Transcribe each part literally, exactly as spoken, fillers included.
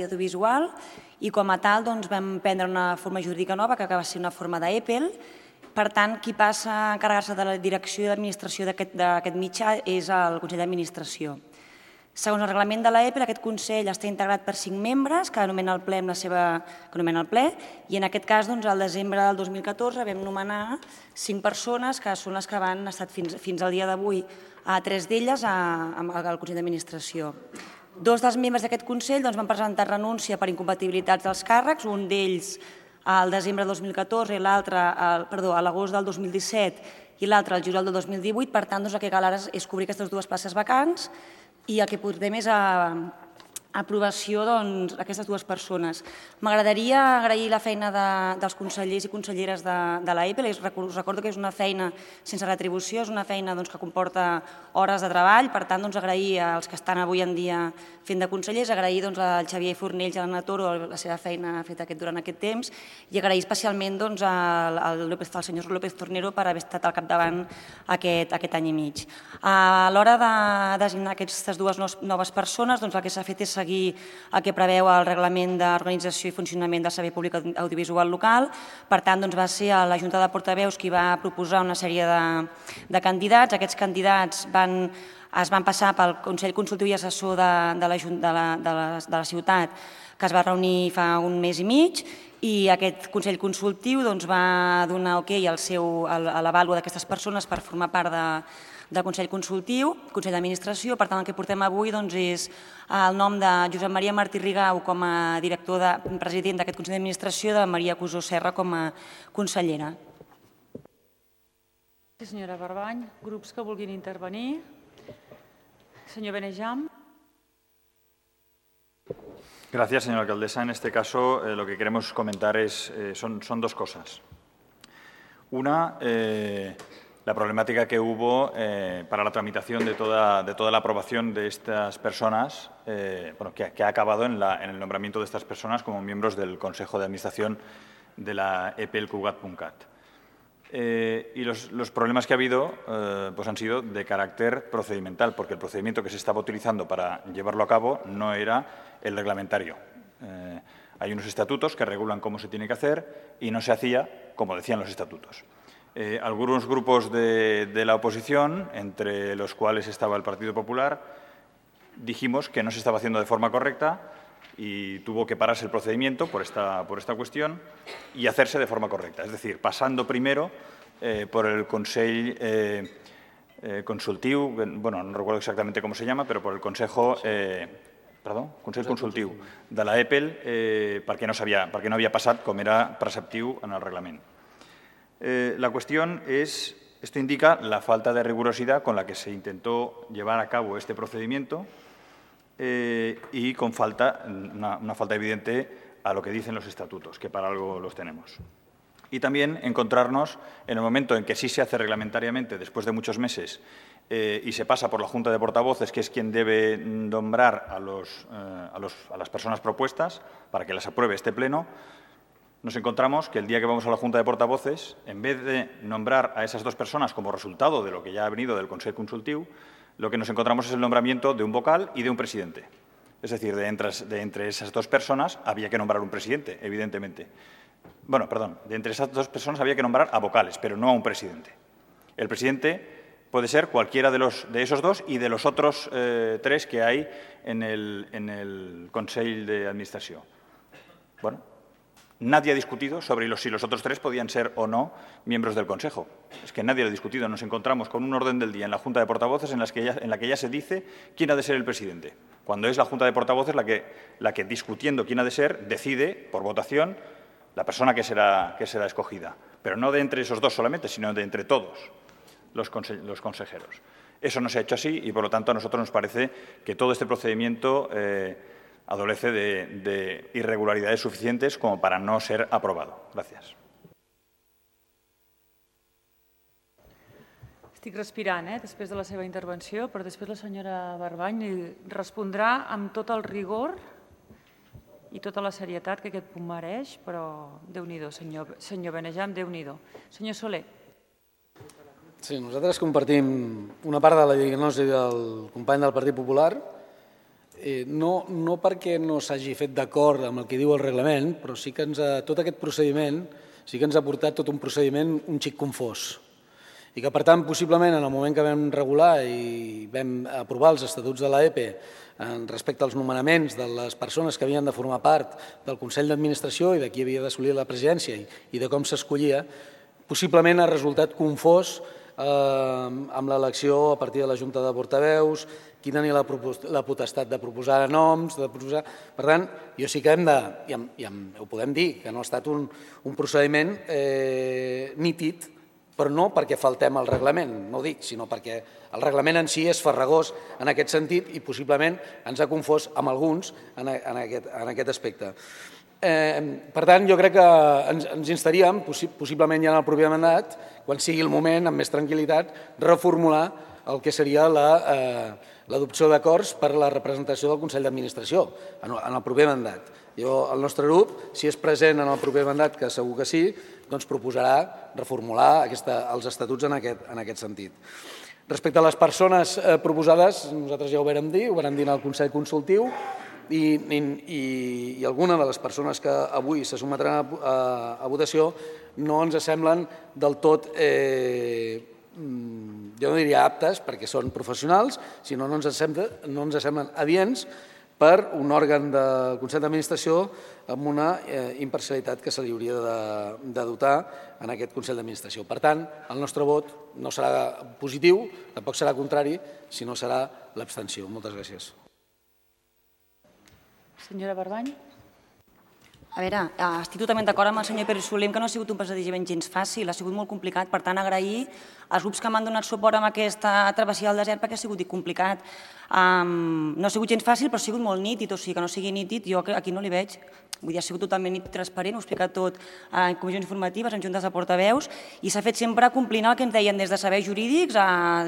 audiovisual i com a tal vam prendre una forma jurídica nova que va ser una forma d'Apple. Per tant, qui passa a encarregar-se de la direcció i d'administració d'aquest mitjà és el Consell d'Administració. Segons el reglament de l'Apple, aquest Consell està integrat per cinc membres que anomena el ple amb la seva... que anomena el ple, i en aquest cas, al desembre del dos mil catorze, vam nomenar cinc persones que són les que van estar fins al dia d'avui a tres d'elles al Consell d'Administració. Dos dels membres d'aquest Consell van presentar renúncia per incompatibilitats dels càrrecs, un d'ells al desembre del dos mil catorze i l'altre, perdó, a l'agost del dos mil disset i l'altre al juliol del dos mil divuit. Per tant, el que cal ara és cobrir aquestes dues places vacants i el que portem és a aprovació d'aquestes dues persones. M'agradaria agrair la feina dels consellers i conselleres de l'Apple. Us recordo que és una feina sense retribució, és una feina que comporta hores de treball. Per tant, agrair als que estan avui en dia fent de consellers, agrair al Xavier Fornells i a l'Anna Toro la seva feina feta durant aquest temps i agrair especialment al senyor López Tornero per haver estat al capdavant aquest any i mig. A l'hora de designar aquestes dues noves persones, el que s'ha fet és seguir el que preveu el Reglament d'Organització i Funcionament del Servei Públic Audiovisual Local. Per tant, va ser la Junta de Portaveus qui va proposar una sèrie de candidats. Aquests candidats es van passar pel Consell Consultiu i Assessor de la ciutat, que es va reunir fa un mes i mig, i aquest Consell Consultiu va donar ok a l'avàlua d'aquestes persones per formar part del Consell Consultiu, Consell d'Administració. Per tant, el que portem avui és el nom de Josep Maria Martí Rigau com a director president d'aquest Consell d'Administració i de Maria Cusó Serra com a consellera. Gràcies, senyora Barbany. Grups que vulguin intervenir. Senyor Benejam. Gracias, señora alcaldesa. En este caso, eh, lo que queremos comentar es, eh, son, son dos cosas. Una, eh, la problemática que hubo eh, para la tramitación de toda, de toda la aprobación de estas personas, eh, bueno, que, que ha acabado en, la, en el nombramiento de estas personas como miembros del Consejo de Administración de la E P L Cugat punt cat. Eh, y los, los problemas que ha habido eh, pues han sido de carácter procedimental, porque el procedimiento que se estaba utilizando para llevarlo a cabo no era el reglamentario. Eh, hay unos estatutos que regulan cómo se tiene que hacer y no se hacía como decían los estatutos. Eh, algunos grupos de, de la oposición, entre los cuales estaba el Partido Popular, dijimos que no se estaba haciendo de forma correcta y tuvo que pararse el procedimiento por esta, por esta cuestión y hacerse de forma correcta. Es decir, pasando primero eh, por el Consell eh, eh, Consultiu, bueno, no recuerdo exactamente cómo se llama, pero por el Consejo, eh, perdó, Consell Consultiu de la E P L, eh, perquè no sabia, perquè no havia passat com era preceptiu en el reglament. Eh, la cuestión es, esto indica la falta de rigurosidad con la que se intentó llevar a cabo este procedimiento eh, y con falta, una, una falta evidente a lo que dicen los estatutos, que para algo los tenemos. Y también encontrarnos en el momento en que sí se hace reglamentariamente, después de muchos meses, eh, y se pasa por la Junta de Portavoces, que es quien debe nombrar a, los, eh, a, los, a las personas propuestas para que las apruebe este Pleno, nos encontramos que el día que vamos a la Junta de Portavoces, en vez de nombrar a esas dos personas como resultado de lo que ya ha venido del Consell Consultiu, lo que nos encontramos es el nombramiento de un vocal y de un presidente. Es decir, de entre, de entre esas dos personas había que nombrar un presidente, evidentemente. Bueno, perdón, de entre esas dos personas había que nombrar a vocales, pero no a un presidente. El presidente puede ser cualquiera de, los, de esos dos y de los otros eh, tres que hay en el, en el Consell de Administración. Bueno, nadie ha discutido sobre los, si los otros tres podían ser o no miembros del Consejo. Es que nadie lo ha discutido. Nos encontramos con un orden del día en la Junta de Portavoces en, las que ya, en la que ya se dice quién ha de ser el presidente, cuando es la Junta de Portavoces la que, la que discutiendo quién ha de ser, decide, por votación, la persona que será, que será escogida. Pero no de entre esos dos solamente, sino de entre todos los, conse los consejeros. Eso no se ha hecho así y, por lo tanto, a nosotros nos parece que todo este procedimiento eh, adolece de, de irregularidades suficientes como para no ser aprobado. Gràcies. Estic respirant, eh, després de la seva intervenció, però després la senyora Barbany li respondrà amb tot el rigor i tota la serietat que aquest punt mereix, però Déu-n'hi-do, senyor, senyor Benejam, Déu-n'hi-do. Senyor Soler. Sí, nosaltres compartim una part de la diagnosi del company del Partit Popular no, no perquè no s'hagi fet d'acord amb el que diu el reglament, però sí que ens ha, tot aquest procediment sí que ens ha portat tot un procediment un xic confós. I que, per tant, possiblement, en el moment que vam regular i vam aprovar els estatuts de l'E P E respecte als nomenaments de les persones que havien de formar part del Consell d'Administració i de qui havia d'assolir la presidència i de com s'escollia, possiblement ha resultat confós amb l'elecció a partir de la Junta de Portaveus, qui tenia la potestat de proposar noms, de proposar... Per tant, jo sí que hem de, i ho podem dir, que no ha estat un procediment nítid, però no perquè faltem al reglament, no ho dic, sinó perquè el reglament en si és farragós en aquest sentit i possiblement ens ha confós amb alguns en aquest aspecte. Per tant, jo crec que ens instaríem, possiblement ja en el proper mandat, quan sigui el moment, amb més tranquil·litat, reformular el que seria l'adopció d'acords per a la representació del Consell d'Administració en el proper mandat. El nostre grup, si és present en el proper mandat, que segur que sí, doncs proposarà reformular els estatuts en aquest sentit. Respecte a les persones proposades, nosaltres ja ho vàrem dir, ho vàrem dir en el Consell Consultiu, i alguna de les persones que avui se sotmetran a votació no ens semblen del tot, jo no diria aptes, perquè són professionals, sinó no ens semblen adients per un òrgan del Consell d'Administració amb una imparcialitat que se li hauria de dotar en aquest Consell d'Administració. Per tant, el nostre vot no serà positiu, tampoc serà contrari, sinó serà l'abstenció. Moltes gràcies. Senyora Barbany. A veure, estic totalment d'acord amb el senyor Pere Soler que no ha sigut un procediment gens fàcil, ha sigut molt complicat, per tant agrair als grups que m'han donat suport amb aquesta travessia del desert perquè ha sigut complicat. No ha sigut gens fàcil però ha sigut molt nítid, o sigui que no sigui nítid jo aquí no li veig. Vull dir, ha sigut totalment nítid, transparent, ho he explicat tot en comissions informatives, en juntes de portaveus i s'ha fet sempre complint el que ens deien des de serveis jurídics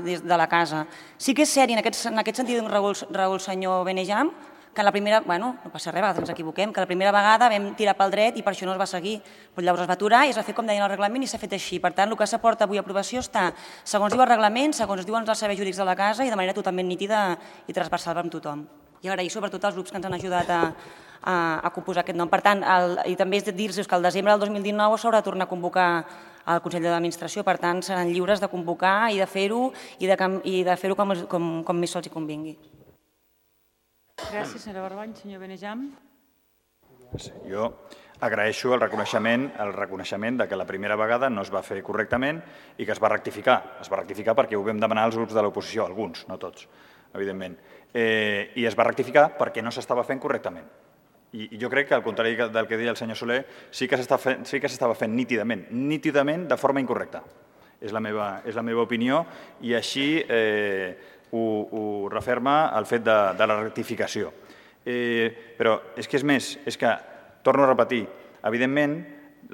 des de la casa. Sí que és cert, i en aquest sentit raó el senyor Benejam, que la primera, bueno, no passa res, a vegades ens equivoquem, que la primera vegada vam tirar pel dret i per això no es va seguir. Però llavors es va aturar i es va fer com deien el reglament i s'ha fet així. Per tant, el que s'aporta avui a aprovació està, segons diu el reglament, segons diuen els serveis jurídics de la casa i de manera totalment nítida i transversal amb tothom. I agrair sobretot als grups que ens han ajudat a composar aquest nom. Per tant, i també és de dir-vos que al desembre del dos mil dinou s'haurà de tornar a convocar al Consell d'Administració, per tant, seran lliures de convocar i de fer-ho i de fer-ho com més sols hi convingui. Gràcies, senyora Barbany. Senyor Benejam. Jo agraeixo el reconeixement el reconeixement que la primera vegada no es va fer correctament i que es va rectificar. Es va rectificar perquè ho vam demanar als grups de l'oposició, alguns, no tots, evidentment. I es va rectificar perquè no s'estava fent correctament. I jo crec que, al contrari del que deia el senyor Soler, sí que s'estava fent nítidament, nítidament de forma incorrecta. És la meva opinió i així ho referma el fet de la rectificació. Però és que és més, és que, torno a repetir, evidentment,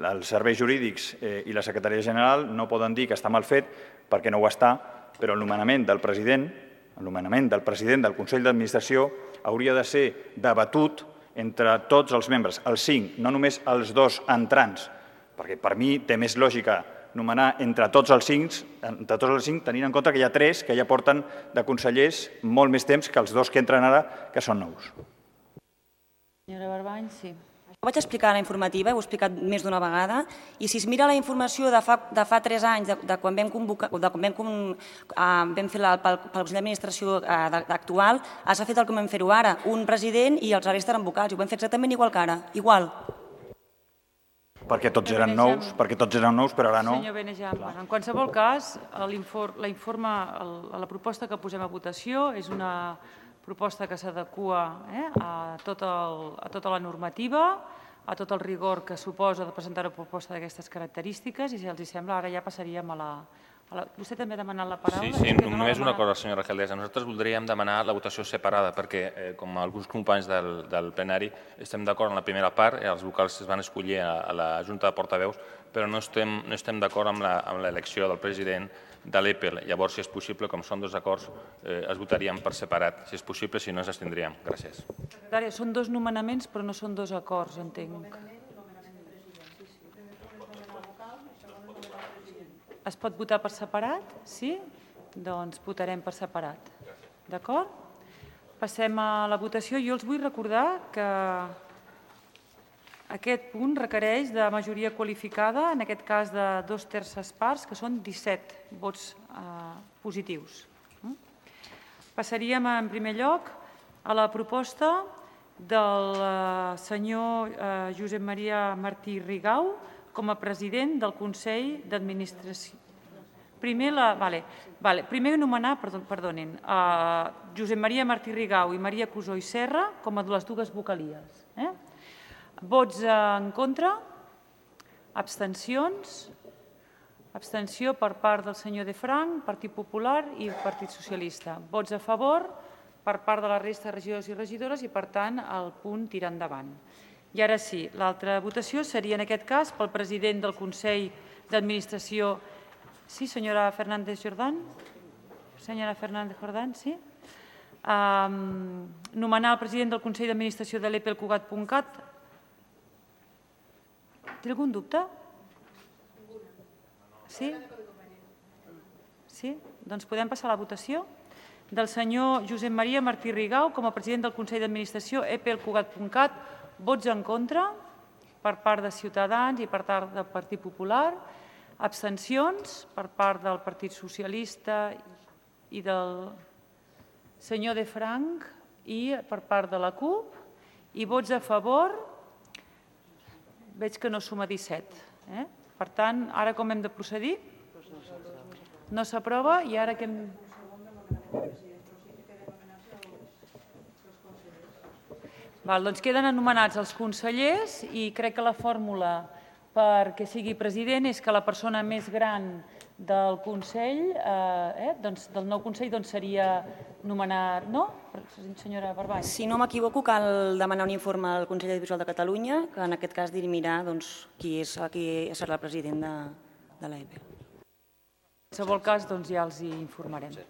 els serveis jurídics i la secretaria general no poden dir que està mal fet perquè no ho està, però el nomenament del president, el nomenament del president del Consell d'Administració hauria de ser debatut entre tots els membres, els cinc, no només els dos entrants, perquè per mi té més lògica nomenar entre tots els cinc, entre tots els cinc, tenint en compte que hi ha tres que ja porten de consellers molt més temps que els dos que entren ara, que són nous. Senyora Barbany, sí. Ho vaig explicar a la informativa, ho he explicat més d'una vegada, i si es mira la informació de fa tres anys, de quan vam fer pel Consell d'Administració actual, s'ha fet el que vam fer-ho ara, un president i els restes eren vocals, i ho vam fer exactament igual que ara, igual. Perquè tots eren nous, perquè tots eren nous, però ara no. Senyor Benejam, en qualsevol cas, la proposta que posem a votació és una proposta que s'adequa a tota la normativa, a tot el rigor que suposa de presentar una proposta d'aquestes característiques i, si els sembla, ara ja passaríem a la... Vostè també ha demanat la paraula? Sí, sí, només una cosa, senyora alcaldessa. Nosaltres voldríem demanar la votació separada perquè, com alguns companys del plenari, estem d'acord en la primera part, els vocals es van escollir a la Junta de Portaveus, però no estem d'acord amb l'elecció del president de l'E P E L. Llavors, si és possible, com són dos acords, es votaríem per separat. Si és possible, si no, ens abstindríem. Gràcies. Secretària, són dos nomenaments, però no són dos acords, entenc. Es pot votar per separat? Sí? Doncs votarem per separat. D'acord? passem a la votació. Jo els vull recordar que aquest punt requereix de majoria qualificada, en aquest cas de dos terces parts, que són disset vots positius. Passaríem, en primer lloc, a la proposta del senyor Josep Maria Martí Rigau com a president del Consell d'Administració. Primer, la, vale, vale, primer anomenar, perdó, perdonin, a Josep Maria Martí Rigau i Maria Cusó i Serra com a les dues vocalies. Eh? Vots en contra, abstencions, abstenció per part del senyor De Frank, Partit Popular i Partit Socialista. Vots a favor per part de la resta de regidors i regidores i, per tant, el punt tira endavant. I ara sí, l'altra votació seria, en aquest cas, pel president del Consell d'Administració. Sí, senyora Fernández Jordán? Senyora Fernández Jordán, sí? Um, nomenar el president del Consell d'Administració de l'E P E L Cugat punt cat. Té algun dubte? Sí? Sí? Doncs podem passar a la votació del senyor Josep Maria Martí Rigau com a president del Consell d'Administració E P E L Cugat punt cat. Vots en contra per part de Ciutadans i per part del Partit Popular. Abstencions per part del Partit Socialista i del senyor De Frank i per part de la CUP. I vots a favor, veig que no suma disset. Eh? Per tant, ara com hem de procedir? No s'aprova i ara que hem... Val, doncs queden anomenats els consellers i crec que la fórmula perquè sigui president és que la persona més gran del Consell, eh, doncs, del nou Consell, doncs seria nomenar... No? Senyora Barbany. Si no m'equivoco, cal demanar un informe al Consell Audiovisual de Catalunya, que en aquest cas dirimirà doncs, qui, és, qui serà el president de, de l'E P E L. En qualsevol cas, doncs, ja els hi informarem.